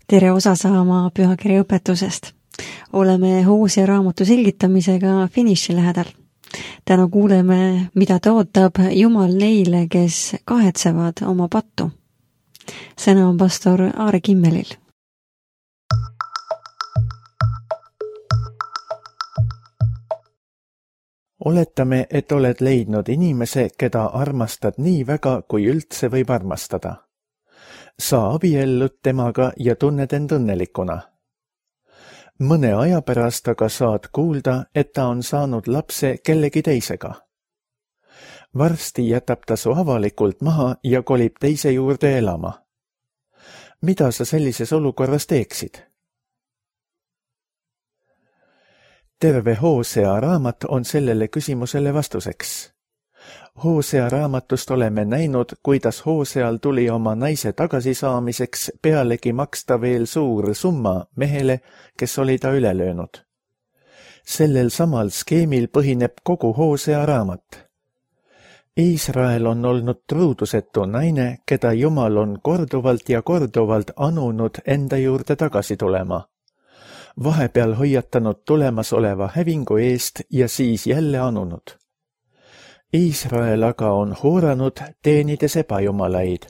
Tere osa saama pühakirja õpetusest. Oleme Hoosea raamatu selgitamisega finiši lähedal. Täna kuuleme, mida ootab Jumal neile, kes kahetsevad oma pattu. Sõna on pastor Aare Kimmelil. Oletame, et oled leidnud inimese, keda armastad nii väga, kui üldse võib armastada. Sa abiellud temaga ja tunned end õnnelikuna. Mõne aja pärast aga saad kuulda, et ta on saanud lapse kellegi teisega. Varsti jätab ta su avalikult maha ja kolib teise juurde elama. Mida sa sellises olukorras teeksid? Terve Hoosea raamat on sellele küsimusele vastuseks. Hoosea raamatust oleme näinud, kuidas Hooseal tuli oma naise tagasisaamiseks pealegi maksta veel suur summa mehele, kes oli ta üle löönud. Sellel samal skeemil põhineb kogu Hoosea raamat. Iisrael on olnud truudusetu naine, keda Jumal on korduvalt ja korduvalt anunud enda juurde tagasi tulema. Vahepeal hoiatanud tulemasoleva hävingu eest ja siis jälle anunud. Iisrael aga on hooranud teenides ebajumalaid,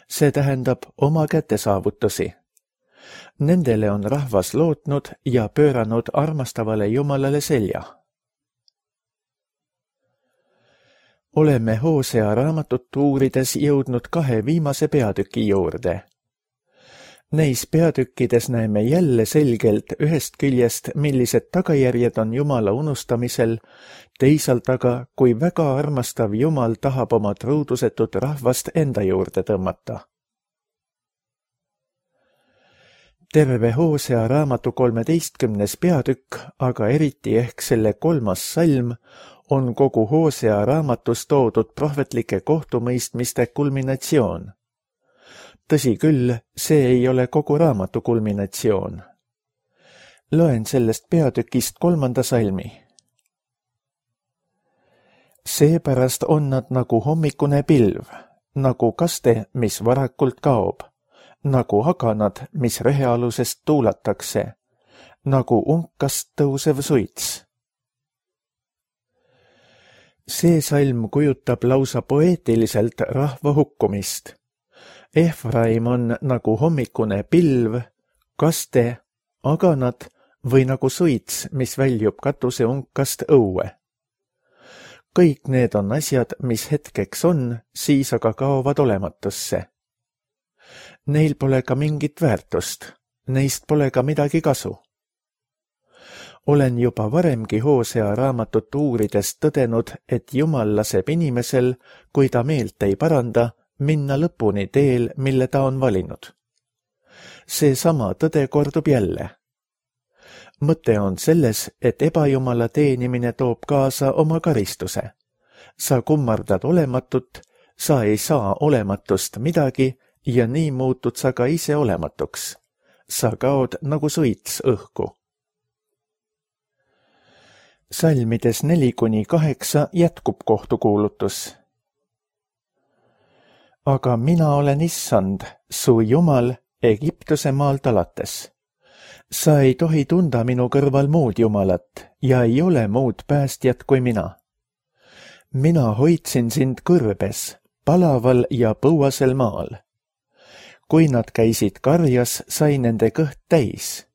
see tähendab oma kätesaavutusi. Nendele on rahvas lootnud ja pööranud armastavale Jumalale selja. Oleme Hoosea raamatut uurides jõudnud 2 viimase peatüki juurde. Neis peatükkides näeme jälle selgelt ühest küljest, millised tagajärjed on Jumala unustamisel, teisalt aga, kui väga armastav Jumal tahab oma truudusetut rahvast enda juurde tõmmata. Terve Hoosea raamatu 13. peatükk, aga eriti ehk selle 3. salm, on kogu Hoosea raamatus toodud prohvetlike kohtumõistmiste kulminatsioon. Tõsi küll, see ei ole kogu raamatu kulminatsioon. Loen sellest peatükist 3. salmi. Seepärast on nad nagu hommikune pilv, nagu kaste, mis varakult kaob, nagu aganad, mis rehealusest tuulatakse, nagu unkast tõusev suits. See salm kujutab lausa poeetiliselt rahva hukkumist. Efraim on nagu hommikune pilv, kaste, aganad või nagu suits, mis väljub katuse unkast õue. Kõik need on asjad, mis hetkeks on, siis aga kaovad olematusse. Neil pole ka mingit väärtust, neist pole ka midagi kasu. Olen juba varemgi Hoosea raamatut uurides tõdenud, et Jumal laseb inimesel, kui ta meelt ei paranda, minna lõpuni teel, mille ta on valinud. Seesama tõde kordub jälle. Mõte on selles, et ebajumala teenimine toob kaasa oma karistuse. Sa kummardad olematut, sa ei saa olematust midagi ja nii muutud sa ka ise olematuks. Sa kaod nagu suits õhku. Salmides 4-8 jätkub kohtukuulutus. Aga mina olen issand, su Jumal, Egiptuse maalt alates. Sa ei tohi tunda minu kõrval muud Jumalat ja ei ole muud päästjat kui mina. Mina hoidsin sind kõrbes, palaval ja põuasel maal. Kui nad käisid karjas, sai nende kõht täis.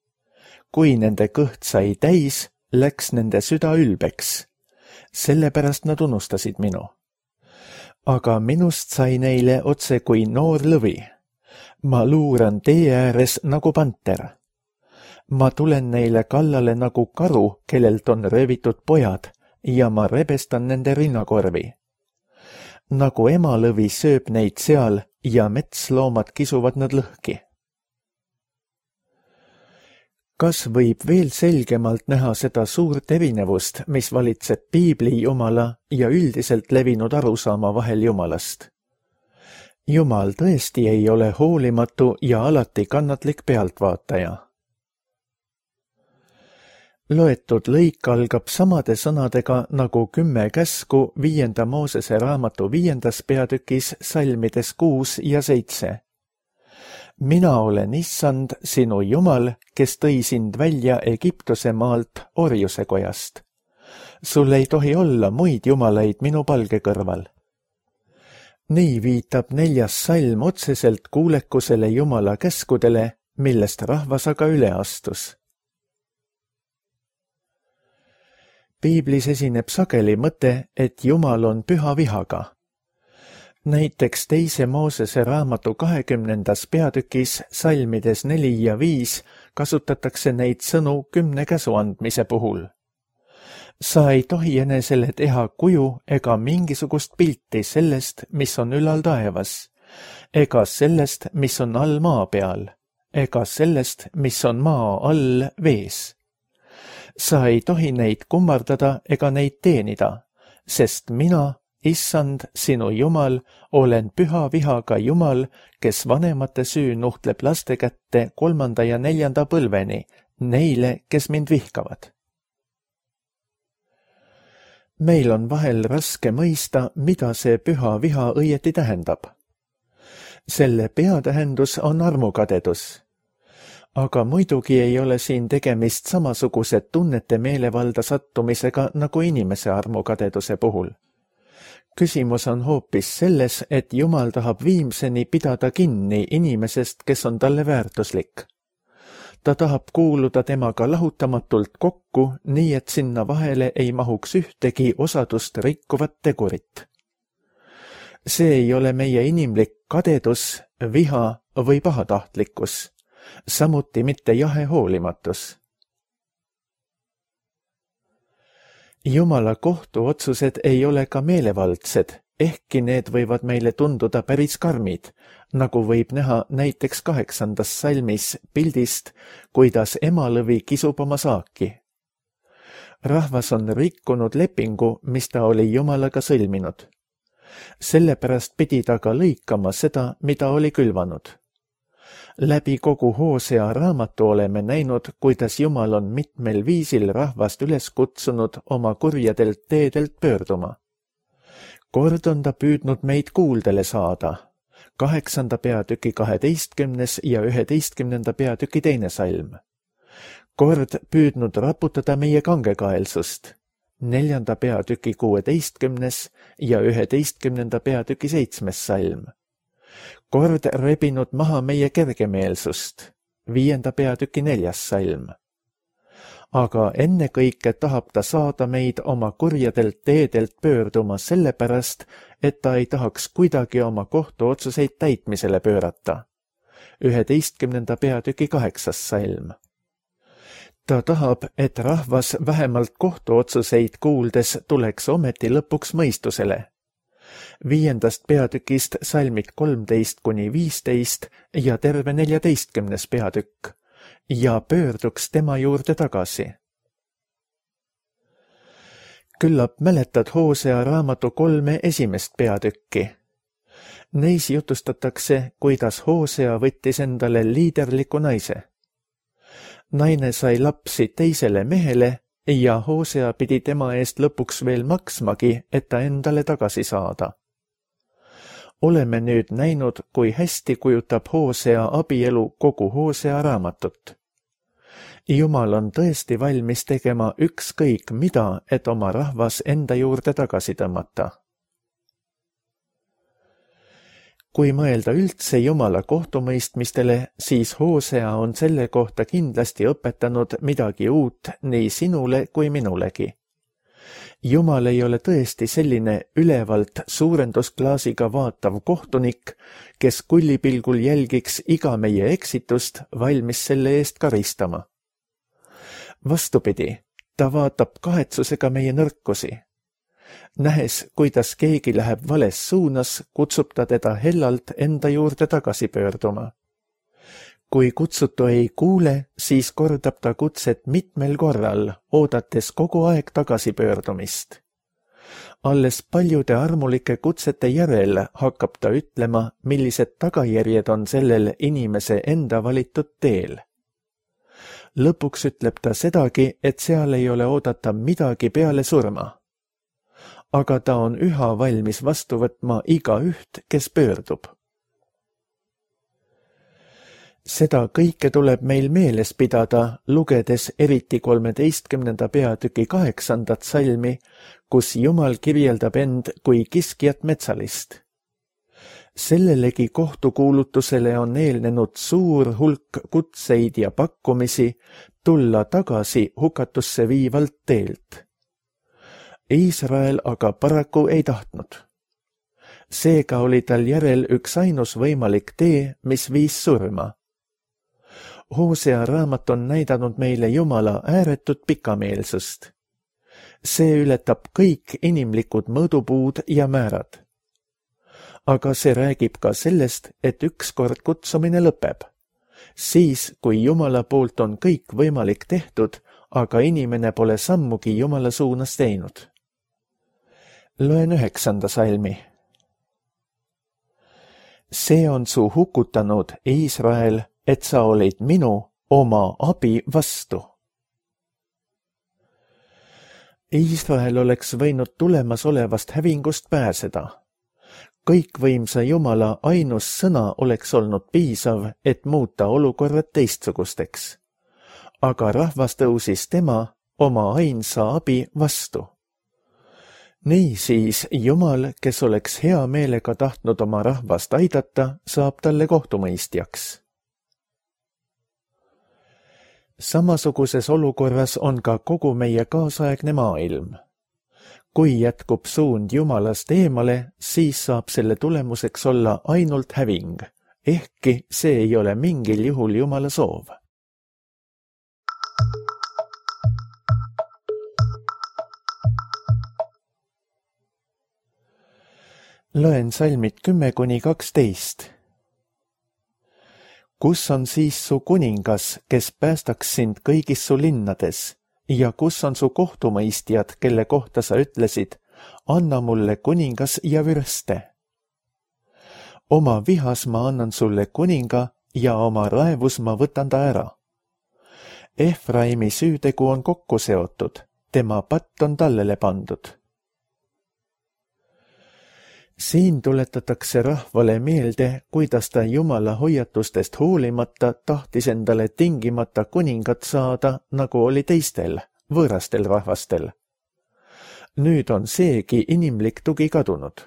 Kui nende kõht sai täis, läks nende süda ülbeks. Sellepärast nad unustasid minu. Aga minust sai neile otse kui noor lõvi. Ma luuran tee ääres nagu panter. Ma tulen neile kallale nagu karu, kellelt on röövitud pojad, ja ma rebestan nende rinnakorvi. Nagu emalõvi sööb neid seal ja metsloomad kisuvad nad lõhki. Kas võib veel selgemalt näha seda suurt erinevust, mis valitseb piibli Jumala ja üldiselt levinud arusaama vahel Jumalast? Jumal tõesti ei ole hoolimatu ja alati kannatlik pealtvaataja. Loetud lõik algab samade sõnadega nagu 10 käsku 5. Moosese raamatu 5. peatükis salmides 6 ja 7. mina olen Issand, sinu Jumal, kes tõi sind välja Egiptuse maalt orjuse kojast. Sul ei tohi olla muid jumalaid minu palge kõrval. Nii viitab 4. salm otseselt kuulekusele Jumala käskudele, millest rahvas aga üle astus. Piiblis esineb sageli mõte, et Jumal on püha vihaga. Näiteks 2. Moosese raamatu 20. peatükis salmides 4 ja 5 kasutatakse neid sõnu 10 käsu andmise puhul. Sa ei tohi enesele teha kuju ega mingisugust pilti sellest, mis on ülal taevas, ega sellest, mis on all maa peal, ega sellest, mis on maa all vees. Sa ei tohi neid kummardada ega neid teenida, sest mina, Issand, sinu Jumal, olen püha vihaga Jumal, kes vanemate süü nuhtleb laste kätte 3. ja 4. põlveni, neile, kes mind vihkavad. Meil on vahel raske mõista, mida see püha viha õieti tähendab. Selle peatähendus on armukadedus. Aga muidugi ei ole siin tegemist samasuguse tunnete meelevalda sattumisega nagu inimese armukadeduse puhul. Küsimus on hoopis selles, et Jumal tahab viimseni pidada kinni inimesest, kes on talle väärtuslik. Ta tahab kuuluda temaga lahutamatult kokku, nii et sinna vahele ei mahuks ühtegi osadust rikkuvat tegurit. See ei ole meie inimlik kadedus, viha või pahatahtlikkus, samuti mitte jahe hoolimatus. Jumala kohtuotsused ei ole ka meelevaldsed, ehkki need võivad meile tunduda päris karmid, nagu võib näha näiteks 8. salmis pildist, kuidas emalõvi kisub oma saaki. Rahvas on rikkunud lepingu, mis ta oli Jumalaga sõlminud. Sellepärast pidi ta ka lõikama seda, mida oli külvanud. Läbi kogu Hoosea raamatu oleme näinud, kuidas Jumal on mitmel viisil rahvast üles kutsunud oma kurjadelt teedelt pöörduma. Kord on ta püüdnud meid kuuldele saada, 8. peatüki 12. ja 11. peatüki 2. salm. Kord püüdnud raputada meie kangekaelsust, 4. peatüki 16. ja 11. peatüki 7. salm. Kord rebinud maha meie kergemeelsust, 5. peatüki 4. salm. Aga ennekõike tahab ta saada meid oma kurjadelt teedelt pöörduma sellepärast, et ta ei tahaks kuidagi oma kohtuotsuseid täitmisele pöörata. 11. peatüki 8. salm. Ta tahab, et rahvas vähemalt kohtuotsuseid kuuldes tuleks ometi lõpuks mõistusele. 5. peatükist salmid 13–15 ja terve 14. peatükk ja pöörduks tema juurde tagasi. Küllap mäletad Hoosea raamatu 3 esimest peatükki. Neis jutustatakse, kuidas Hoosea võttis endale liiderliku naise. Naine sai lapsi teisele mehele ja Hoosea pidi tema eest lõpuks veel maksmagi, et ta endale tagasi saada. Oleme nüüd näinud, kui hästi kujutab Hoosea abielu kogu Hoosea raamatut. Jumal on tõesti valmis tegema ükskõik mida, et oma rahvas enda juurde tagasi tõmmata. Kui mõelda üldse Jumala kohtumõistmistele, siis Hoosea on selle kohta kindlasti õpetanud midagi uut nii sinule kui minulegi. Jumal ei ole tõesti selline ülevalt suurendusklaasiga vaatav kohtunik, kes kullipilgul jälgiks iga meie eksitust, valmis selle eest karistama. Vastupidi, ta vaatab kahetsusega meie nõrkusi. Nähes, kuidas keegi läheb vales suunas, kutsub ta teda hellalt enda juurde tagasi pöörduma. Kui kutsutu ei kuule, siis kordab ta kutset mitmel korral, oodates kogu aeg tagasipöördumist. Alles paljude armulike kutsete järel hakkab ta ütlema, millised tagajärjed on sellel inimese enda valitud teel. Lõpuks ütleb ta sedagi, et seal ei ole oodata midagi peale surma. Aga ta on üha valmis vastu võtma igaüht, kes pöördub. Seda kõike tuleb meil meeles pidada, lugedes eriti 13. peatüki 8. salmi, kus Jumal kirjeldab end kui kiskjat metsalist. Sellelegi kohtukuulutusele on eelnenud suur hulk kutseid ja pakkumisi tulla tagasi hukatusse viivalt teelt. Iisrael aga paraku ei tahtnud. Seega oli tal järel üks ainus võimalik tee, mis viis surma. Hosea raamat on näidanud meile Jumala ääretut pikameelsust. See ületab kõik inimlikud mõõdupuud ja määrad. Aga see räägib ka sellest, et ükskord kutsumine lõpeb. Siis, kui Jumala poolt on kõik võimalik tehtud, aga inimene pole sammugi Jumala suunas teinud. Loen 9. salmi. See on su hukutanud, Iisrael, et sa olid minu oma abi vastu. Iisrael oleks võinud tulemas olevast hävingust pääseda. Kõikvõimsa Jumala ainus sõna oleks olnud piisav, et muuta olukorrad teistsugusteks. Aga rahvas tõusis tema oma ainsa abi vastu. Niisiis Jumal, kes oleks hea meelega tahtnud oma rahvast aidata, saab talle kohtumõistjaks. Samasuguses olukorras on ka kogu meie kaasaegne maailm. Kui jätkub suund Jumalast eemale, siis saab selle tulemuseks olla ainult häving, ehkki see ei ole mingil juhul Jumala soov. Loen salmid 10–12. Kus on siis su kuningas, kes päästaks sind kõigis su linnades, ja kus on su kohtumõistjad, kelle kohta sa ütlesid, anna mulle kuningas ja vürste. Oma vihas ma annan sulle kuninga ja oma raevus ma võtan ta ära. Efraimi süütegu on kokku seotud, tema patt on tallele pandud. Siin tuletatakse rahvale meelde, kuidas ta Jumala hoiatustest hoolimata tahtis endale tingimata kuningat saada, nagu oli teistel, võõrastel rahvastel. Nüüd on seegi inimlik tugi kadunud.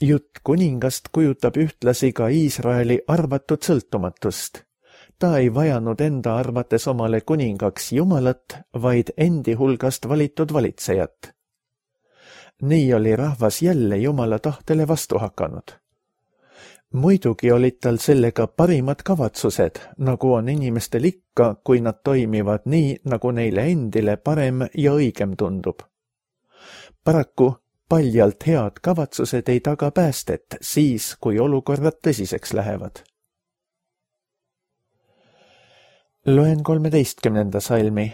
Jutt kuningast kujutab ühtlasi ka Iisraeli arvatud sõltumatust. Ta ei vajanud enda arvates omale kuningaks Jumalat, vaid endi hulgast valitud valitsejat. Nii oli rahvas jälle Jumala tahtele vastu hakanud. Muidugi olid tal sellega parimad kavatsused, nagu on inimestel ikka, kui nad toimivad nii, nagu neile endile parem ja õigem tundub. Paraku paljalt head kavatsused ei taga päästet siis, kui olukorrad tõsiseks lähevad. Loen 13. salmi.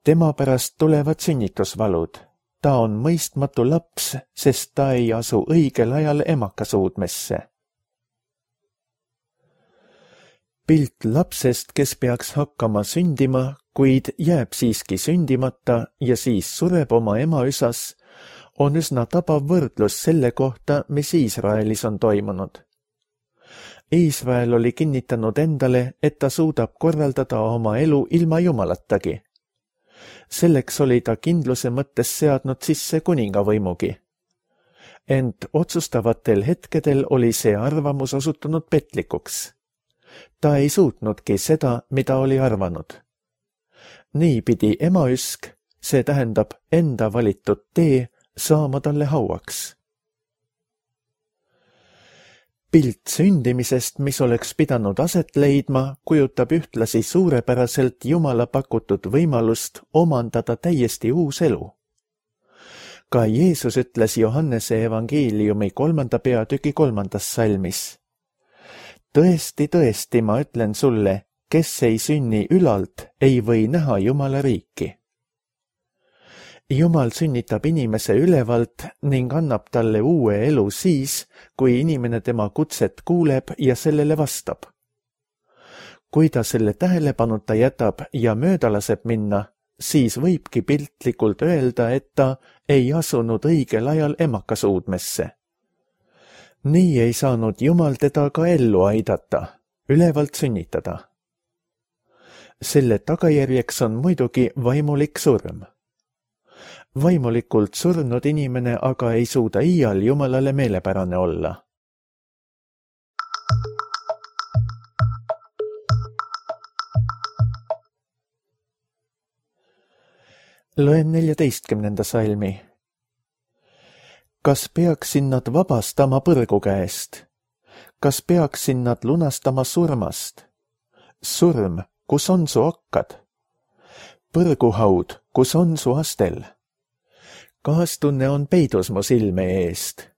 Tema pärast tulevad sünnitusvalud. Ta on mõistmatu laps, sest ta ei asu õigel ajal emakasuudmesse. Pilt lapsest, kes peaks hakkama sündima, kuid jääb siiski sündimata ja siis sureb oma ema üsas, on üsna tabav võrdlus selle kohta, mis Iisraelis on toimunud. Iisrael oli kinnitanud endale, et ta suudab korraldada oma elu ilma Jumalatagi. Selleks oli ta kindluse mõttes seadnud sisse kuningavõimugi. Ent otsustavatel hetkedel oli see arvamus osutunud petlikuks. Ta ei suutnudki seda, mida oli arvanud. Nii pidi emaüsk, see tähendab enda valitud tee, saama talle hauaks. Pilt sündimisest, mis oleks pidanud aset leidma, kujutab ühtlasi suurepäraselt Jumala pakutud võimalust omandada täiesti uus elu. Ka Jeesus ütles Johannese evangeeliumi 3. peatüki 3. salmis. Tõesti, tõesti, ma ütlen sulle, kes ei sünni ülalt, ei või näha Jumala riiki. Jumal sünnitab inimese ülevalt ning annab talle uue elu siis, kui inimene tema kutset kuuleb ja sellele vastab. Kui ta selle tähelepanuta jätab ja mööda laseb minna, siis võibki piltlikult öelda, et ta ei asunud õigel ajal emakasuudmesse. Nii ei saanud Jumal teda ka ellu aidata, ülevalt sünnitada. Selle tagajärjeks on muidugi vaimulik surm. Vaimulikult surnud inimene aga ei suuda iial Jumalale meelepärane olla. Loen 14. salmi. Kas peaksin nad vabastama põrgu käest? Kas peaksin nad lunastama surmast? Surm, kus on su akkad? Põrguhaud, kus on su astel? Kaastunne on peidus mu silme eest.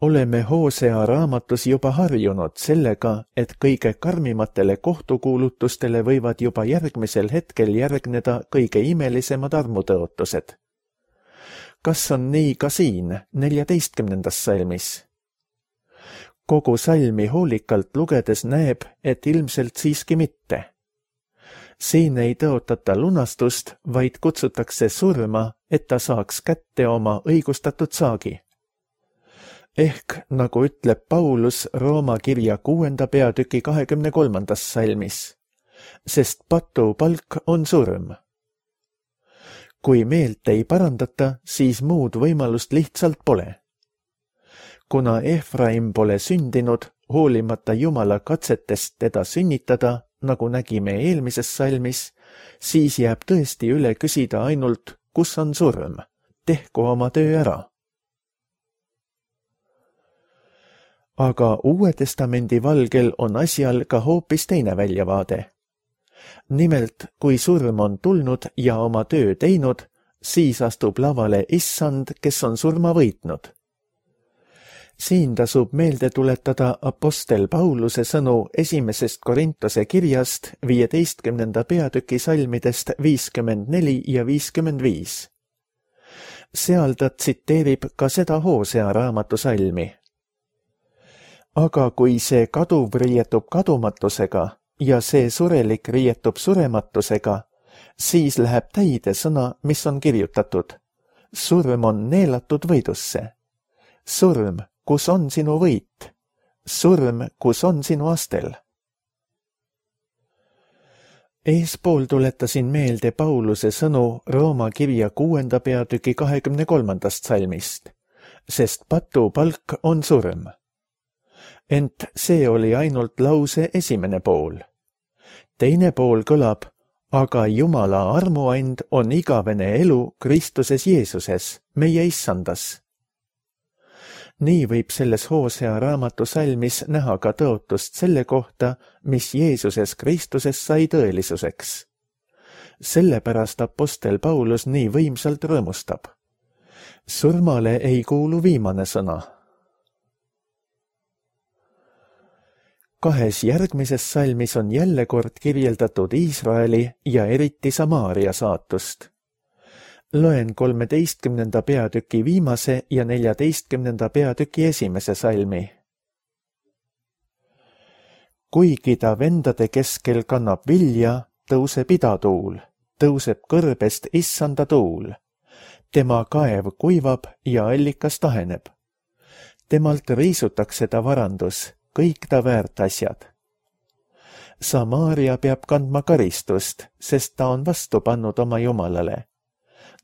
Oleme Hosea raamatus juba harjunud sellega, et kõige karmimatele kohtukuulutustele võivad juba järgmisel hetkel järgneda kõige imelisemad armutõotused. Kas on nii ka siin, 14. salmis? Kogu salmi hoolikalt lugedes näeb, et ilmselt siiski mitte. Siin ei tõotata lunastust, vaid kutsutakse surma, et ta saaks kätte oma õigustatud saagi. Ehk, nagu ütleb Paulus Rooma kirja 6. peatüki 23. salmis, sest patu palk on surm. Kui meelt ei parandata, siis muud võimalust lihtsalt pole. Kuna Efraim pole sündinud, hoolimata Jumala katsetest teda sünnitada, nagu nägime eelmises salmis, siis jääb tõesti üle küsida ainult, kus on surm, tehku oma töö ära. Aga Uue Testamendi valgel on asjal ka hoopis teine väljavaade. Nimelt, kui surm on tulnud ja oma töö teinud, siis astub lavale Issand, kes on surma võitnud. Siin tasub meelde tuletada apostel Pauluse sõnu 1. Korintuse kirjast 15. peatüki salmidest 54 ja 55. Seal ta tsiteerib ka seda Hosea raamatu salmi. Aga kui see kaduv riietub kadumatusega ja see surelik riietub surematusega, siis läheb täide sõna, mis on kirjutatud. Surm on neelatud võidusse. Surm, kus on sinu võit? Surm, kus on sinu astel? Eespool tuletasin meelde Pauluse sõnu Rooma kirja 6. peatüki 23. salmist, sest patu palk on surm. Ent see oli ainult lause esimene pool. Teine pool kõlab, aga Jumala armuand on igavene elu Kristuses Jeesuses, meie issandas. Nii võib selles Hosea raamatu salmis näha ka tõotust selle kohta, mis Jeesuses Kristuses sai tõelisuseks. Sellepärast apostel Paulus nii võimsalt rõõmustab. Surmale ei kuulu viimane sõna. Kahes järgmises salmis on jälle kord kirjeldatud Iisraeli ja eriti Samaaria saatust. Loen 13. peatüki viimase ja 14. peatüki esimese salmi. Kuigi ta vendade keskel kannab vilja, tõuseb idatuul, tõuseb kõrbest issanda tuul. Tema kaev kuivab ja allikas taheneb. Temalt riisutakse ta varandus, kõik ta väärt asjad. Samaaria peab kandma karistust, sest ta on vastu pannud oma Jumalale.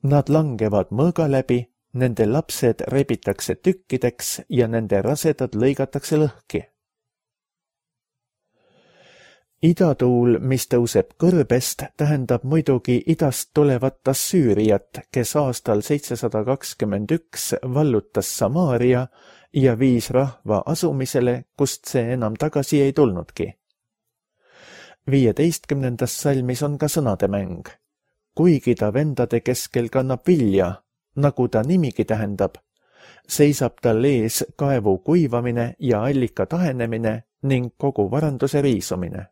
Nad langevad mõõga läbi, nende lapsed rebitakse tükkideks ja nende rasedad lõigatakse lõhki. Idatuul, mis tõuseb kõrbest, tähendab muidugi idast tulevat Assüüriat, kes aastal 721 vallutas Samaaria ja viis rahva asumisele, kust see enam tagasi ei tulnudki. 15. salmis on ka sõnade mäng. Kuigi ta vendade keskel kannab vilja, nagu ta nimigi tähendab, seisab tal ees kaevu kuivamine ja allika tahenemine ning kogu varanduse riisumine.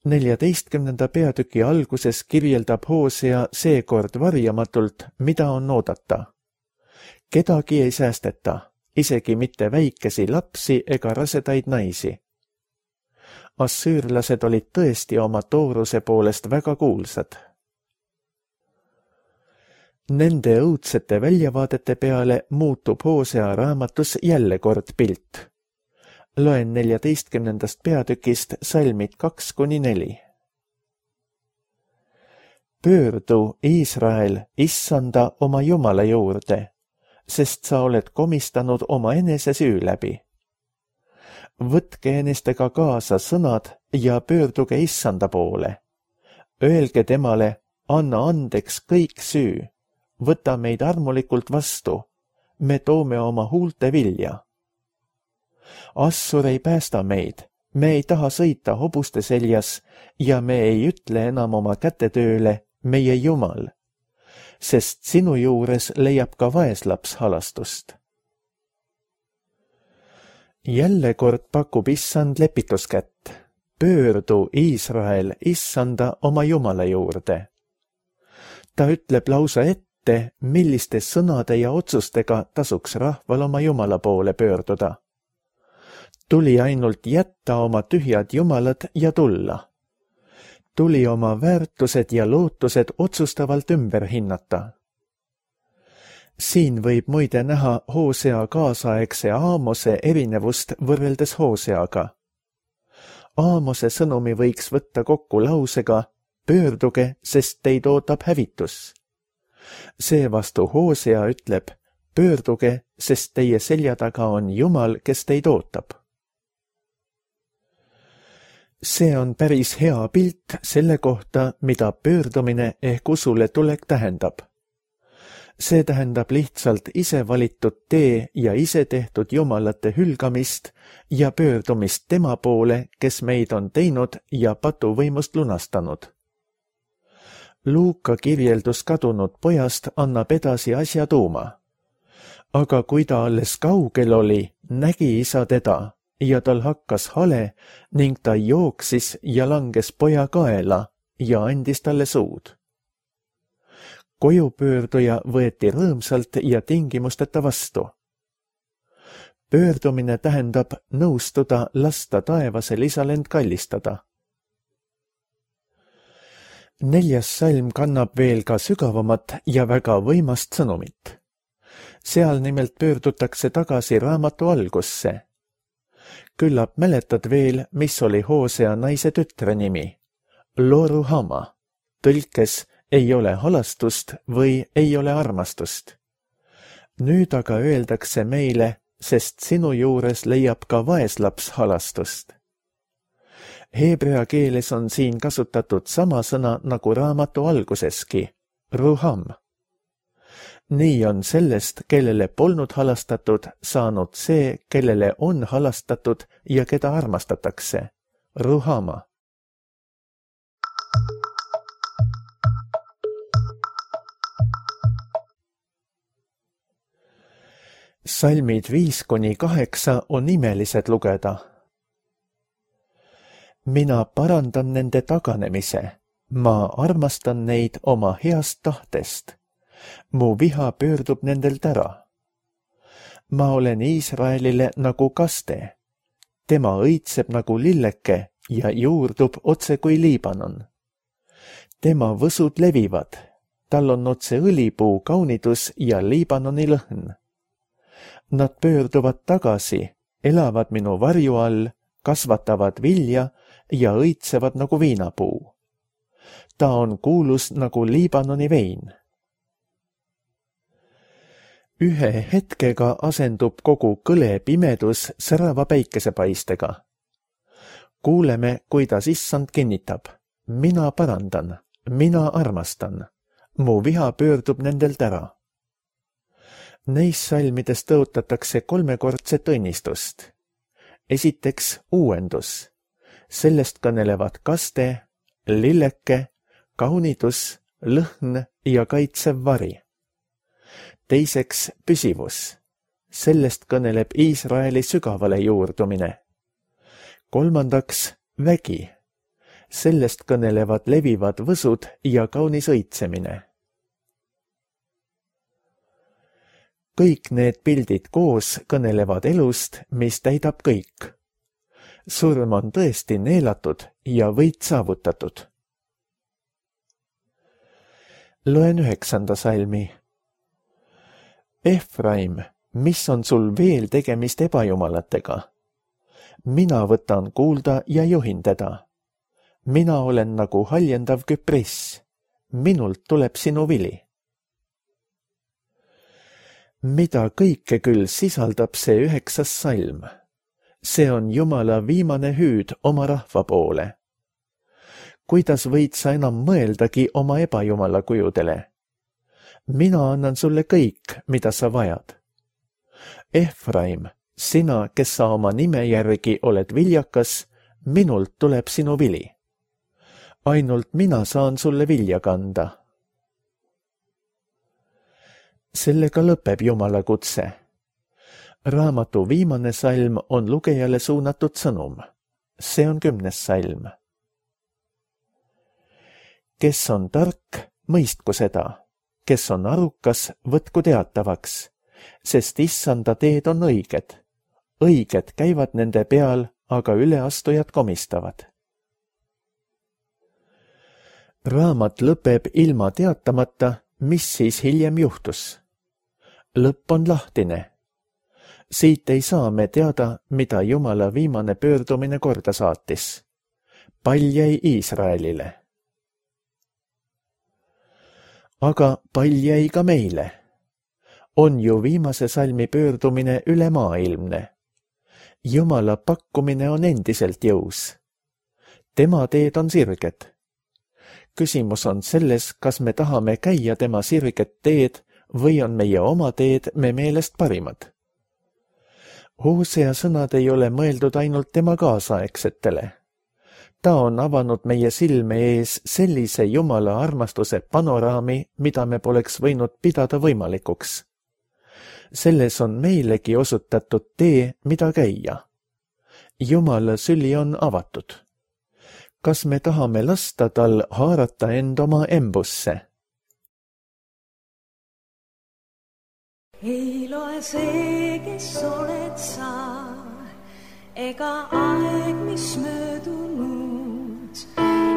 14. peatüki alguses kirjeldab Hosea seekord varjamatult, mida on oodata. Kedagi ei säästeta, isegi mitte väikesi lapsi ega rasedaid naisi. Assüürlased olid tõesti oma tooruse poolest väga kuulsad. Nende õudsete väljavaadete peale muutub Hosea raamatus jälle kord pilt. Loen 14. peatükist salmid 2-4. Pöördu, Iisrael, issanda oma Jumala juurde, sest sa oled komistanud oma enese süü läbi. Võtke enestega kaasa sõnad ja pöörduge issanda poole. Öelge temale, anna andeks kõik süü, võta meid armulikult vastu, me toome oma huulte vilja. Assur ei päästa meid, me ei taha sõita hobuste seljas ja me ei ütle enam oma kätetööle, meie Jumal, sest sinu juures leiab ka vaeslaps halastust. Jälle kord pakub issand lepituskätt. Pöördu, Iisrael, issanda oma Jumala juurde. Ta ütleb lausa ette, milliste sõnade ja otsustega tasuks rahval oma Jumala poole pöörduda. Tuli ainult jätta oma tühjad jumalad ja tulla. Tuli oma väärtused ja lootused otsustavalt ümber hinnata. Siin võib muide näha Hosea kaasaegse Aamose erinevust võrreldes Hoseaga. Aamose sõnumi võiks võtta kokku lausega pöörduge, sest teid ootab hävitus. Seevastu Hosea ütleb pöörduge, sest teie selja taga on Jumal, kes teid ootab. See on päris hea pilt selle kohta, mida pöördumine ehk usule tulek tähendab. See tähendab lihtsalt ise valitud tee ja ise tehtud jumalate hülgamist ja pöördumist tema poole, kes meid on teinud ja patuvõimust lunastanud. Luuka kirjeldus kadunud pojast annab edasi asja tuuma. Aga kui ta alles kaugel oli, nägi isa teda ja tal hakkas hale ning ta jooksis ja langes poja kaela ja andis talle suud. Kojupöörduja võeti rõõmsalt ja tingimusteta vastu. Pöördumine tähendab nõustuda lasta taevasel isal end kallistada. 4. salm kannab veel ka sügavamat ja väga võimast sõnumit. Seal nimelt pöördutakse tagasi raamatu algusse. Küllap mäletad veel, mis oli Hosea naise tütre nimi. Lo-ruhama, tõlkes ei ole halastust või ei ole armastust. Nüüd aga öeldakse meile, sest sinu juures leiab ka vaeslaps halastust. Heebrea keeles on siin kasutatud sama sõna nagu raamatu alguseski, ruham. Nii on sellest, kellele polnud halastatud, saanud see, kellele on halastatud ja keda armastatakse, ruhama. Salmid 5-8 on imelised lugeda. Mina parandan nende taganemise, ma armastan neid oma heast tahtest. Mu viha pöördub nendelt ära. Ma olen Iisraelile nagu kaste. Tema õitseb nagu lilleke ja juurdub otse kui Liibanon. Tema võsud levivad, tal on otse õlipuu kaunidus ja Liibanoni lõhn. Nad pöörduvad tagasi, elavad minu varju all, kasvatavad vilja ja õitsevad nagu viinapuu. Ta on kuulus nagu Liibanoni vein. Ühe hetkega asendub kogu kõle pimedus särava päikesepaistega. Kuuleme, kuidas issand kinnitab. Mina parandan, mina armastan. Mu viha pöördub nendelt ära. Neis salmides tõotatakse 3-kordset õnnistust. Esiteks uuendus. Sellest kõnelevad kaste, lilleke, kaunidus, lõhn ja kaitsev vari. Teiseks püsivus. Sellest kõneleb Iisraeli sügavale juurdumine. Kolmandaks vägi. Sellest kõnelevad levivad võsud ja kaunis õitsemine. Kõik need pildid koos kõnelevad elust, mis täidab kõik. Surm on tõesti neelatud ja võit saavutatud. Loen 9. salmi, Efraim, mis on sul veel tegemist ebajumalatega? Mina võtan kuulda ja juhin teda. Mina olen nagu haljendav küpriss. Minult tuleb sinu vili. Mida kõike küll sisaldab see 9. salm? See on Jumala viimane hüüd oma rahva poole. Kuidas võid sa enam mõeldagi oma ebajumala kujudele? Mina annan sulle kõik, mida sa vajad. Efraim, sina, kes sa oma nime järgi oled viljakas, minult tuleb sinu vili. Ainult mina saan sulle vilja kanda. Sellega lõpeb Jumala kutse. Raamatu viimane salm on lugejale suunatud sõnum. See on 10. salm. Kes on tark, mõistku seda. Kes on arukas, võtku teatavaks, sest issanda teed on õiged. Õiged käivad nende peal, aga üleastujad komistavad. Raamat lõpeb ilma teatamata, mis siis hiljem juhtus. Lõpp on lahtine. Siit ei saa me teada, mida Jumala viimane pöördumine korda saatis. Pall jäi Iisraelile. Aga pall jäi ka meile. On ju viimase salmi pöördumine ülemaailmne. Jumala pakkumine on endiselt jõus. Tema teed on sirged. Küsimus on selles, kas me tahame käia tema sirget teed või on meie oma teed me meelest parimad. Hosea sõnad ei ole mõeldud ainult tema kaasaegsetele. Ta on avanud meie silme ees sellise Jumala armastuse panoraami, mida me poleks võinud pidada võimalikuks. Selles on meilegi osutatud tee, mida käia. Jumala süli on avatud. Kas me tahame lasta tal haarata end oma embusse? Ei loe see, kes oled sa, ega aeg, mis möödunud.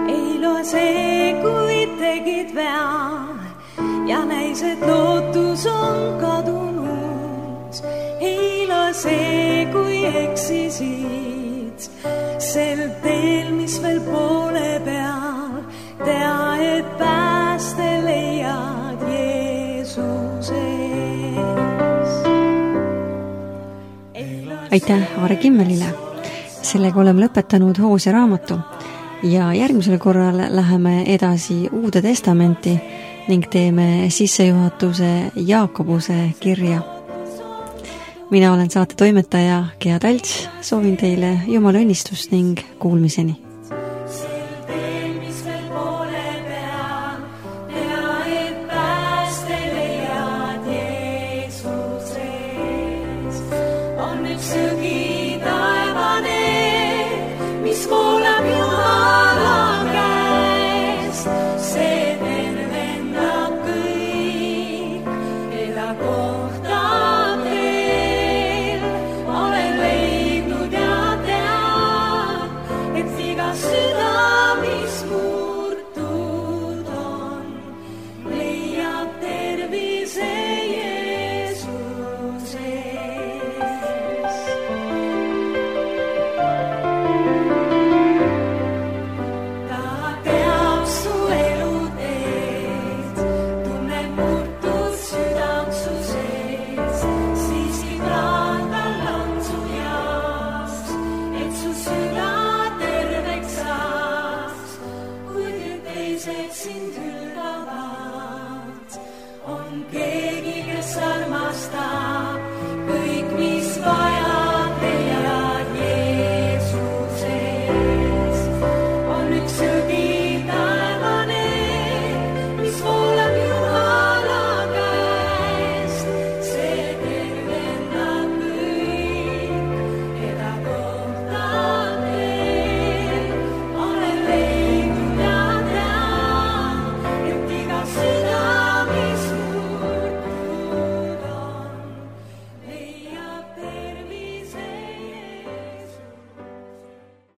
Ei loe see, kui tegid vea ja näis, et lootus on kadunud. Ei loe see, kui eksisid sel teel, mis veel poole peal, tea, et pääste leiad Jeesuses. Aitäh Aare Kimmelile. Sellega oleme lõpetanud Hosea raamatu ja järgmisel korral läheme edasi Uude Testamenti ning teeme sissejuhatuse Jaakobuse kirja. Mina olen saate toimetaja Gea Talts, soovin teile Jumala õnnistust ning kuulmiseni. Südamis muu